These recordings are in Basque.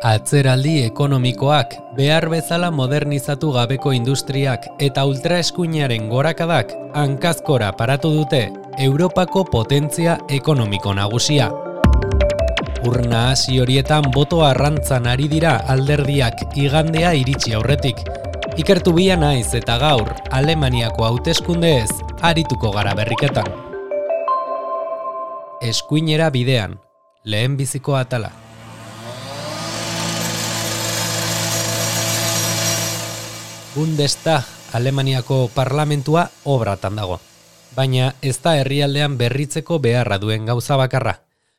Atzeraldi ekonomikoak, behar bezala modernizatu gabeko industriak eta ultraeskuinaren gorakadak hankazkora paratu dute Europako potentzia ekonomiko nagusia. Urna hasi horietan boto arrantzan ari dira alderdiak igandea iritsi aurretik. Ikertu bia naiz eta gaur Alemaniako hauteskundeez arituko gara berriketan. Eskuinera bidean, lehenbiziko atala. Bundestag, Alemaniako parlamentua obratan dago. Baina ez da herrialdean berritzeko beharra duen gauza bakarra.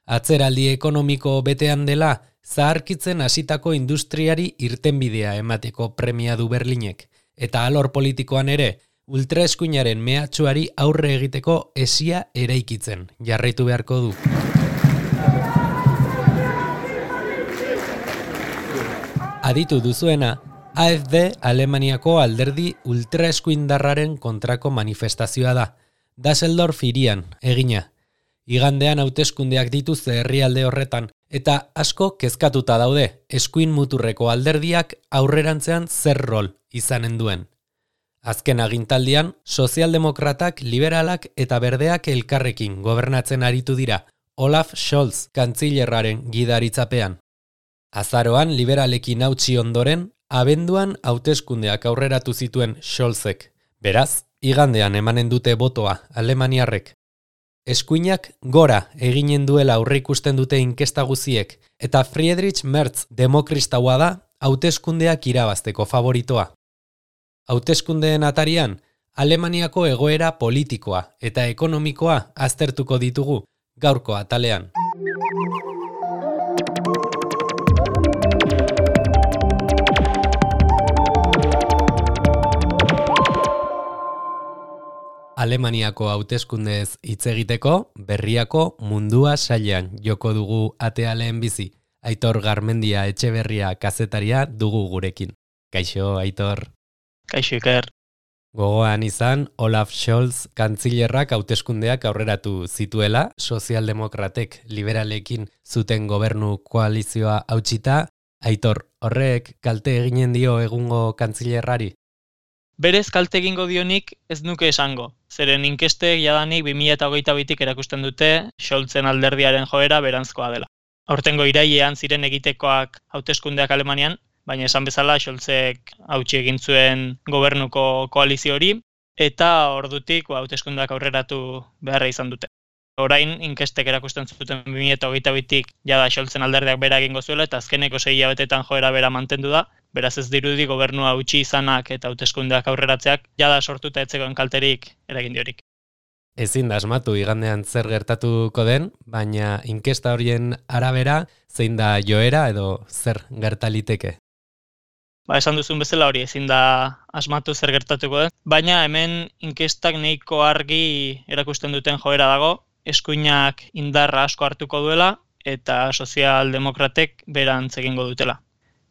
Atzeraldi ekonomiko betean dela, zaharkitzen hasitako industriari irtenbidea emateko premia du Berlinek. Eta alor politikoan ere, ultraeskuinaren mehatxuari aurre egiteko esia eraikitzen, jarraitu beharko du. Aditu duzuena, AfD Alemaniako alderdi ultraeskuindarraren kontrako manifestazioa da. Düsseldorf hirian, egina. Igandean hauteskundeak dituzte herrialde horretan, eta asko kezkatuta daude eskuin muturreko alderdiak aurrerantzean zer rol izanen duen. Azken agintaldian, sozialdemokratak, liberalak eta berdeak elkarrekin gobernatzen aritu dira, Olaf Scholz kantzilerraren gidaritzapean. Azaroan liberalekin hautsi ondoren, abenduan hauteskundeak aurreratu zituen Scholzek. Beraz, igandean emanen dute botoa alemaniarrek. Eskuinak gora eginen duela aurreikusten dute inkesta guziek, eta Friedrich Merz demokristaua da hauteskundeak irabazteko favoritoa. Hauteskundeen atarian, Alemaniako egoera politikoa eta ekonomikoa aztertuko ditugu gaurko atalean. Alemaniako hauteskundeez hitz egiteko, berriako mundua sailean joko dugu atea lehenbizi. Aitor Garmendia Etxeberria kazetaria dugu gurekin. Kaixo, Aitor. Kaixo, Iker. Gogoan izan, Olaf Scholz kantzilerrak hauteskundeak aurreratu zituela, sozialdemokratek liberalekin zuten gobernu koalizioa hautsita. Aitor, horrek kalte eginen dio egungo kantzilerrari? Berez kalte egingo dionik ez nuke esango. Zeren inkestek jadanik 2022tik erakusten dute Scholzen alderdiaren joera beranzkoa dela. Aurtengo irailean ziren egitekoak hauteskundeak Alemanian, baina esan bezala Scholzek hautsi egin zuen gobernuko koalizio hori, eta ordutik hauteskundeak aurreratu beharra izan dute. Orain inkestek erakusten zuten 2022tik jada Scholzen alderdiak bera egingo zuela, eta azkeneko 6 hilabetetan joera bera mantendu da. Beraz ez dirudi gobernua hautsi izanak eta hauteskundeak aurreratzeak jada sortuta etzegoen kalterik eragin diorik. Ezin da asmatu igandean zer gertatuko den, baina inkesta horien arabera zein da joera edo zer gertaliteke? Esan duzun bezala hori ezin da asmatu zer gertatuko den, baina hemen inkestak nahiko argi erakusten duten joera dago, eskuinak indarra asko hartuko duela eta sozialdemokratek berantz egingo dutela.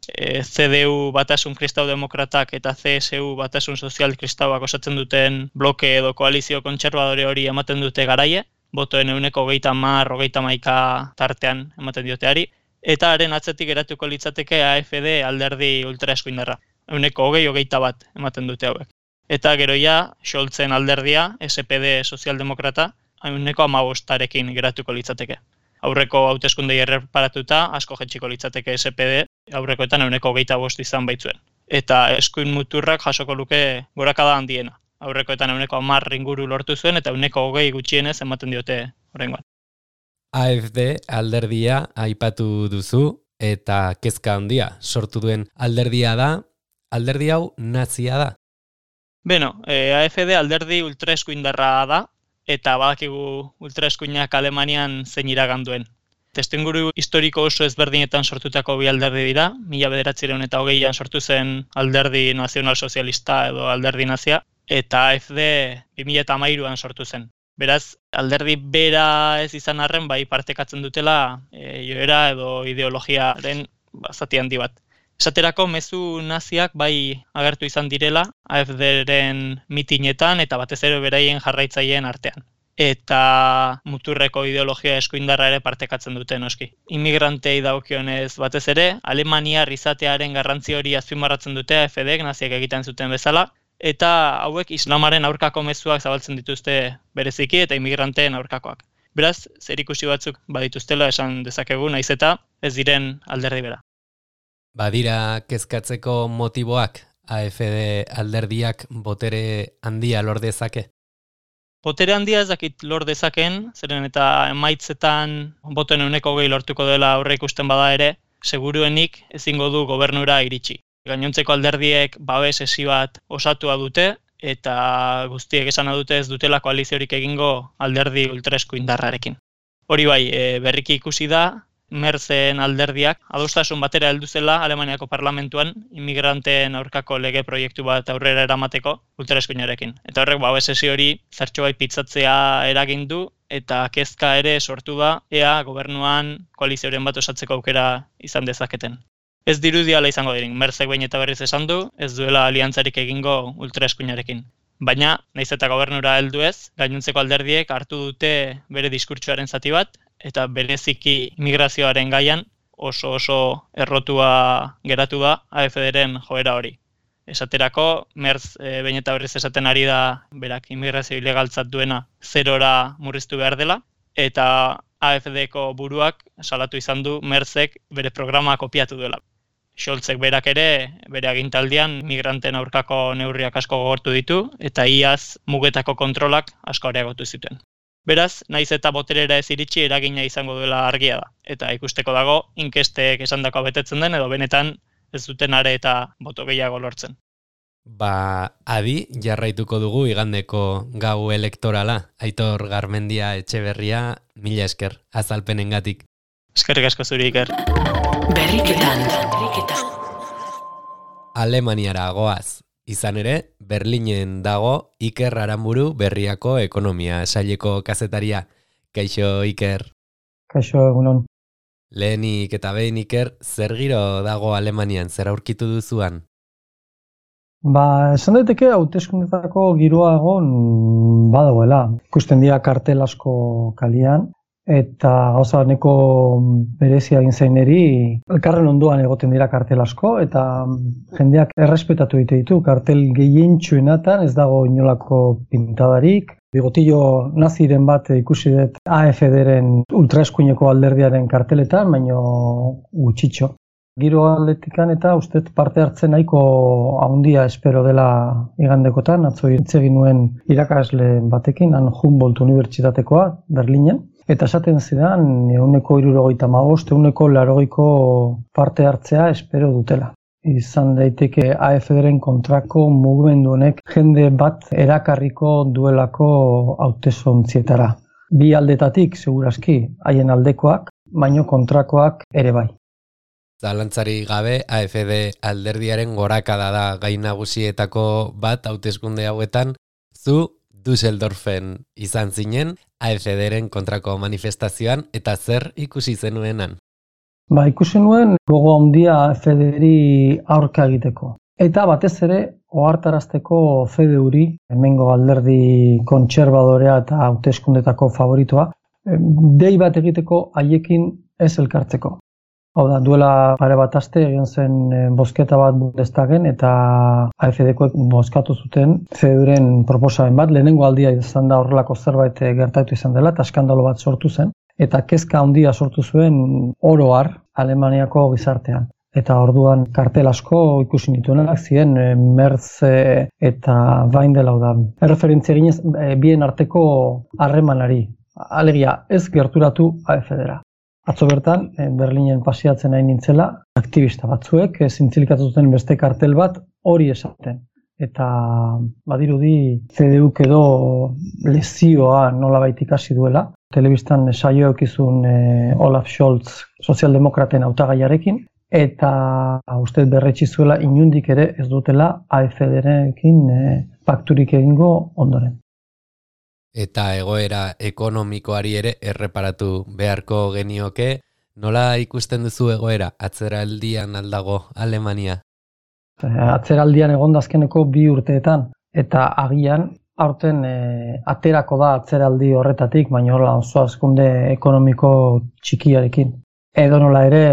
CDU Batasun Kristau Demokratak eta CSU Batasun Sozial Kristauak osatzen duten bloke edo koalizio kontserbadore hori ematen dute garaie, botoen 30-31 tartean ematen dioteari, eta haren atzetik geratuko litzateke AfD alderdi ultraeskuindarra, 20-21 ematen dute hauek. Eta gero ja, Scholzen alderdia, SPD Sozialdemokrata, 15%rekin geratuko litzateke. Aurreko hauteskundei erreparatuta, asko jetxiko litzateke SPD, aurrekoetan 25% izan baitzuen. Eta eskuin muturrak jasoko luke gorakada handiena. Aurrekoetan 10% inguru lortu zuen eta 20 gutxienez ematen diote oraingoan. AfD alderdia aipatu duzu eta kezka handia sortu duen alderdia da, alderdi hau nazia da. AfD alderdi ultraeskuindarra da, eta badakigu ultraeskuinak Alemanian zein iragan duen. Testuinguru historiko oso ezberdinetan sortutako bi alderdi dira, 1920an sortu zen alderdi nazional-sozialista edo alderdi nazia, eta AfD 2013an sortu zen. Beraz, alderdi bera ez izan arren bai partekatzen dutela joera edo ideologiaren zati handi bat. Esaterako mezu naziak bai agertu izan direla AfDren mitinetan eta batez ere beraien jarraitzaileen artean. eta muturreko ideologia eskuindarra ere partekatzen dute noski. Inmigrantei dagokionez batez ere, alemaniar izatearen garrantzi hori azpimarratzen dute AfDek naziek egiten zuten bezala, eta hauek islamaren aurkako mezuak zabaltzen dituzte bereziki eta inmigranteen aurkakoak. Beraz, zerikusi batzuk badituztela esan dezakegu, naiz eta ez diren alderdi bera. Badira kezkatzeko motiboak AfD alderdiak botere handia lor dezake? Botere handia ez dakit lor dezaken, zeren eta emaitzetan botoen 20% lortuko dela aurre ikusten bada ere, seguruenik ezingo du gobernura iritsi. Gainontzeko alderdiek babes esi bat osatua dute, eta guztiek esana dute ez dutela koaliziorik egingo alderdi ultraeskuindarrarekin. Hori bai, berriki ikusi da, Merzen alderdiak adostasun batera heldu zela Alemaniako parlamentuan inmigranteen aurkako lege proiektu bat aurrera eramateko ultraeskuinarekin. Eta horrek babes esi hori zertxobait pitzatzea eragin du eta kezka ere sortu da ea gobernuan koalizioren bat osatzeko aukera izan dezaketen. Ez dirudiala izango dirin, Merzek behin eta berriz esan du, ez duela aliantzarik egingo ultraeskuinarekin. Baina, nahiz eta gobernura heldu ez, gainontzeko alderdiek hartu dute bere diskurtsoaren zati bat, eta bereziki migrazioaren gaian oso errotua geratu da AfDren joera hori. Esaterako, Merz behin eta berriz esaten ari da berak immigrazio ilegaltzat duena 0ra murriztu behar dela, eta AfDko buruak salatu izan du Merzek bere programa kopiatu duela. Scholzek berak ere, bere agintaldian migranten aurkako neurriak asko gogortu ditu, eta iaz mugetako kontrolak asko areagotu zituen. Beraz, naiz eta boterera ez iritsi eragina izango duela argia da. Eta ikusteko dago, inkestek esandakoa betetzen den, edo benetan ez duten are eta boto gehiago lortzen. Adi jarraituko dugu igandeko gau elektorala. Aitor Garmendia Etxeberria, mila esker, azalpenengatik. Eskerrik asko zuri, Iker. Berriketan. Alemaniara goaz. Izan ere, Berlinen dago Iker Aranburu Berriako ekonomia saileko kazetaria. Kaixo, Iker. Kaixo, egunon. Lehenik eta behin, Iker, zer giro dago Alemanian, zer aurkitu duzuan? Esan daiteke hauteskundetako giroa egon badagoela. Ikusten dira kartel asko kalian, eta gauza neko berezia egin zaineri, elkarren ondoan egoten dira kartel asko, eta jendeak errespetatu ditu. Kartel gehientsuenatan ez dago inolako pintadarik. Bigotillo naziren bat ikusi dut AfDren ultraeskuineko alderdiaren karteletan, baino gutxitxo. Giro atletikan eta ustet parte hartzen nahiko handia espero dela igandekotan. Atzo hitz egin nuen irakasle batekin, han Humboldt Unibertsitatekoa, Berlinen. Eta esaten zidan, 175, 180 parte hartzea espero dutela. Izan daiteke AfDren kontrako mugimendu honek jende bat erakarriko duelako hauteskuntzietara. Bi aldetatik, segurazki, haien aldekoak, baino kontrakoak ere bai. Zalantzari gabe, AfD alderdiaren gorakada da gai nagusietako bat hauteskunde hauetan, zu Düsseldorfen izan zinen, AfDren kontrako manifestazioan, eta zer ikusi zenuenan? Ikusi nuen gogo handia AfDri aurka egiteko. Eta batez ere, ohartarazteko CDUri, hemengo alderdi kontserbadorea eta hauteskundetako favoritoa, dei bat egiteko haiekin ez elkartzeko. Hau da, duela pare bat aste egin zen bozketa bat Bundestagen eta AfDkoek bozkatu zuten CDUren proposamen bat. Lehenengo aldia izan da horrelako zerbait gertatu izan dela eta eskandalo bat sortu zen. Eta kezka handia sortu zuen oro har Alemaniako gizartean. Eta orduan kartel asko ikusi nituenak ziren Merz eta Weindel, hau da. Erreferentzia eginez bien arteko harremanari. Alegia ez gerturatu AfDra. Atzo bertan, Berlinen pasiatzen nahi nintzela, aktivista batzuek zintzilikatu zuten beste kartel bat hori esaten. Eta badirudi CDUk edo lezioa nolabait ikasi duela. Telebistan saio eukizun Olaf Scholz sozialdemokraten hautagaiarekin, eta uste berretsi zuela inundik ere ez dutela AfDrekin pakturik egingo ondoren. Eta egoera ekonomikoari ere erreparatu beharko genioke, nola ikusten duzu egoera atzeraldian aldago Alemania? Atzeraldian egon azkeneko 2 urteetan, eta agian aurten aterako da atzeraldi horretatik, baina hola oso hazkunde ekonomiko txikiarekin. Edo nola ere,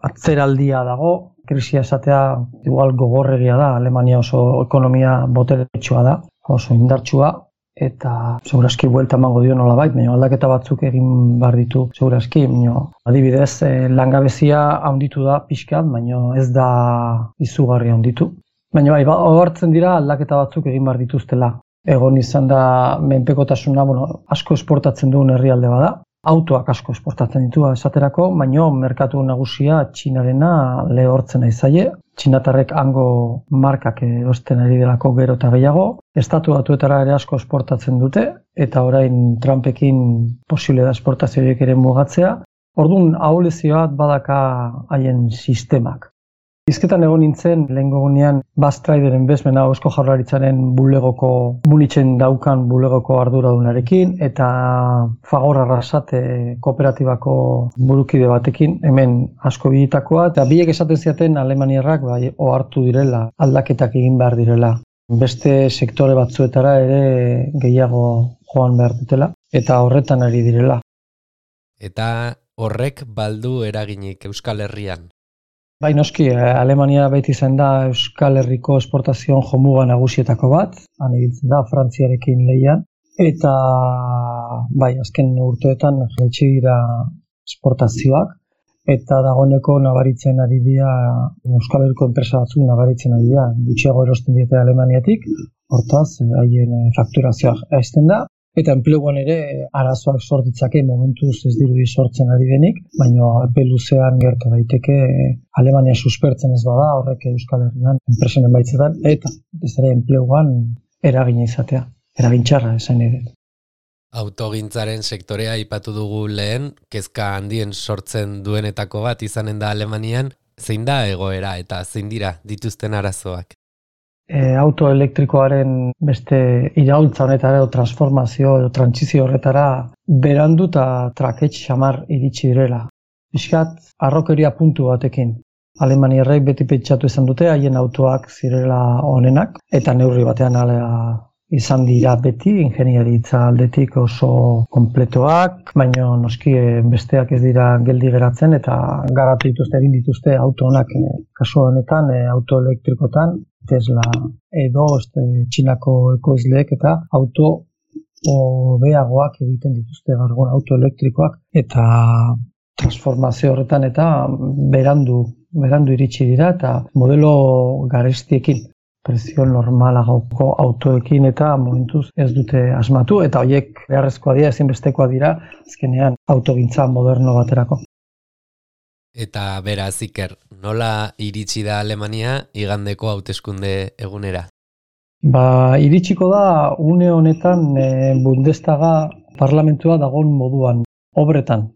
atzeraldia dago, krisia esatea igual gogorregia da, Alemania oso ekonomia boteretsua da, oso indartsua, eta segurazki buelta emango dio nolabait, baina aldaketa batzuk egin behar ditu segurazki, adibidez, langabezia handitu da pixkat, baina ez da izugarri handitu. Baina bai, ohartzen dira aldaketa batzuk egin behar dituztela. Egon izan da menpekotasuna, asko esportatzen duen herrialde bada, autoak asko esportatzen ditu esaterako, baina merkatu nagusia Txinarena lehortzen ari zaie. Txinatarrek hango markak erosten ari delako gero eta gehiago. Estatu Batuetara ere asko esportatzen dute, eta orain Trumpekin posible da esportazioek ere mugatzea. Orduan ahulezio bat badaka haien sistemak. Hizketan egon nintzen, lehengo gunean, Bastrideren bezmena Eusko Jaurlaritzaren bulegoko, Munitzen daukan bulegoko arduradunarekin, eta Fagor Arrasate kooperatibako burukide batekin, hemen asko bilitakoa, eta biek esaten ziaten Alemaniarrak ohartu direla, aldaketak egin behar direla. Beste sektore batzuetara ere gehiago joan behar dutela, eta horretan ari direla. Eta horrek baldu eraginik Euskal Herrian. Bai, noski, Alemania beti izan da Euskal Herriko esportazioan jomuga nagusietako bat, han ibiltzen da Frantziarekin lehian, eta bai, azken urteetan jaitsi dira esportazioak, eta dagoeneko nabaritzen ari dira, Euskal Herriko enpresa batzuk nabaritzen ari dira, gutxiago erosten diete Alemaniatik, hortaz, haien fakturazioa haizten da, eta enpleguan ere arazoak sortitzake momentuz ez dirudi sortzen ari denik, baina epe luzean gerta daiteke Alemania suspertzen ez bada horrek Euskal Herrian enpresen emaitzetan eta ez ere enpleguan eragina izatea, eragin txarra esan ere. Autogintzaren sektorea aipatu dugu lehen, kezka handien sortzen duenetako bat izanen da Alemanian, zein da egoera eta zein dira dituzten arazoak? Auto elektrikoaren beste iraultza honetara edo transformazio edo trantsizio horretara berandu eta trakets xamar iritsi direla. Piskat, arrokeria puntu batekin. Alemaniarrek beti pentsatu izan dute haien autoak zirela onenak eta neurri batean izan dira beti ingeniaritza aldetik oso konpletoak, baina noski besteak ez dira geldi geratzen eta garatu dituzte, egin dituzte auto honak kasu honetan auto elektrikotan, Tesla edo Txinako ekoizleek eta auto hobeagoak egiten dituzte gaur auto elektrikoak eta transformazio horretan eta berandu iritsi dira eta modelo garestiekin. Prezio normalagoko autoekin eta momentuz ez dute asmatu eta horiek beharrezkoa dira, ezinbestekoa dira azkenean autogintza moderno baterako. Eta beraz, Iker, nola iritsi da Alemania igandeko hauteskunde egunera? Iritsiko da une honetan Bundestaga parlamentua dagoen moduan, obretan.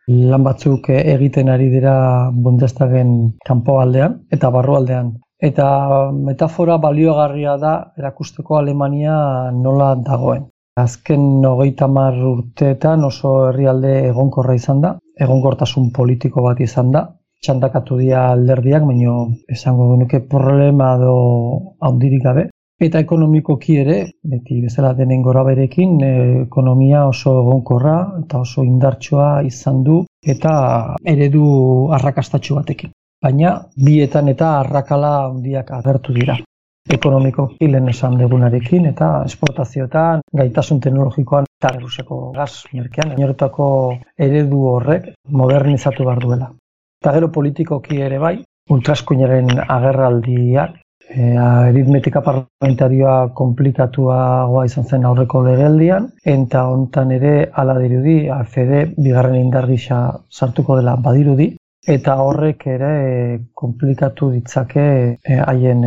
Lan batzuk egiten ari dira Bundestagen kanpoaldean eta barrualdean. Eta metafora baliogarria da erakusteko Alemania nola dagoen. Azken 30 urteetan oso herrialde egonkorra izan da, egonkortasun politiko bat izan da, txandakatu dira alderdiak, baina esango genuke problema edo handirik gabe. Eta ekonomikoki ere, beti bezala denen goraberekin, ekonomia oso egonkorra eta oso indartsua izan du eta eredu arrakastatsu batekin. Baina bietan eta arrakala handiak agertu dira. Ekonomiko hilen esan degunarekin eta esportazioetan, gaitasun teknologikoan eta Errusiako gaz merkean, inoretako eredu horrek modernizatu behar duela. Eta gero politikoki ere bai, ultraeskuinaren agerraldiak, aritmetika parlamentarioa komplikatuagoa izan zen aurreko legealdian, eta hontan ere hala dirudi, AfD bigarren indar gisa sartuko dela badirudi, eta horrek ere komplikatu ditzake haien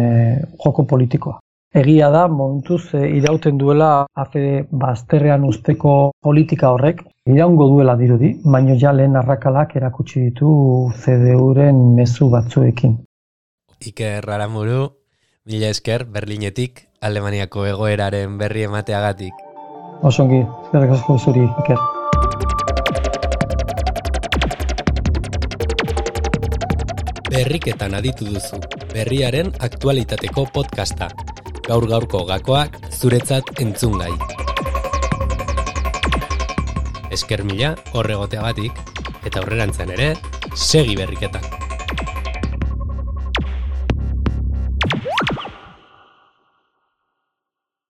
joko politikoa. Egia da, momentuz irauten duela AfD bazterrean usteko politika horrek, iraungo duela dirudi, baino ja lehen arrakalak erakutsi ditu CDU-ren mezu batzuekin. Iker Aramuru, mila esker Berlinetik, Alemaniako egoeraren berri emateagatik. Osongi, eskerrik asko zuri, Iker. Berriketan aditu duzu, berriaren aktualitateko podcasta. Gaur-gaurko gakoak zuretzat entzungai. Esker mila horregoteagatik, eta aurrerantzean ere, segi berriketan.